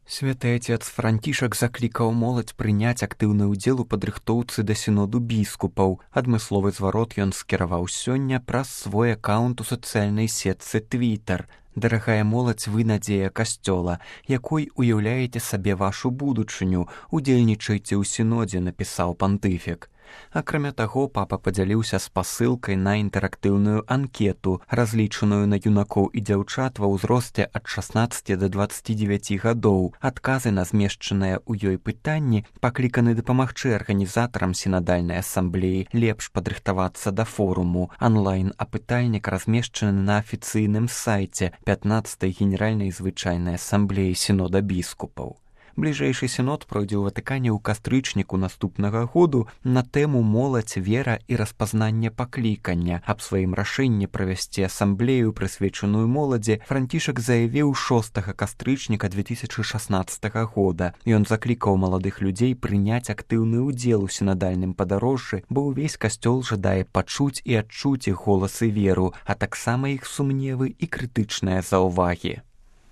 Святы Отец Францішак заклікаў моладзь прыняць актыўны ўдзел у падрыхтоўцы да сіноду біскупаў. Адмысловы зварот ён скіраваў сёння праз свой акаунт у сацыяльнай сетцы Twitter. Дарагая моладзь, вы надзея касцёла, якой уяўляеце сабе вашу будучыню, удзельнічайце ў сінодзе, напісаў пантыфік. Акрамя таго, папа падзяліўся спасылкай на інтэрактыўную анкету, разлічаную на юнакоў і дзяўчат ва ўзросце ад 16 да 29 гадоў. Адказы на змешчаныя ў ёй пытанні пакліканы дапамагчы арганізатарам сінадальнай асамблеі лепш падрыхтавацца да форуму. Анлайн-апытальнік размешчаны на афіцыйным сайце 15-й генеральнай звычайнай асамблеі сінода біскупаў. Бліжэйшы сінод пройдзе ў Ватыкане ў кастрычніку наступнага году на тэму моладзь, вера і распазнанне паклікання. Аб сваім рашэнні правесці асамблею, прысвечаную моладзі, Францішак заявіў 6 кастрычніка 2016 года. Ён заклікаў маладых людзей прыняць актыўны ўдзел у сінадальным падарожжы, бо ўвесь касцёл жадае пачуць і адчуць іх голас і веру, а таксама іх сумневы і крытычныя заўвагі.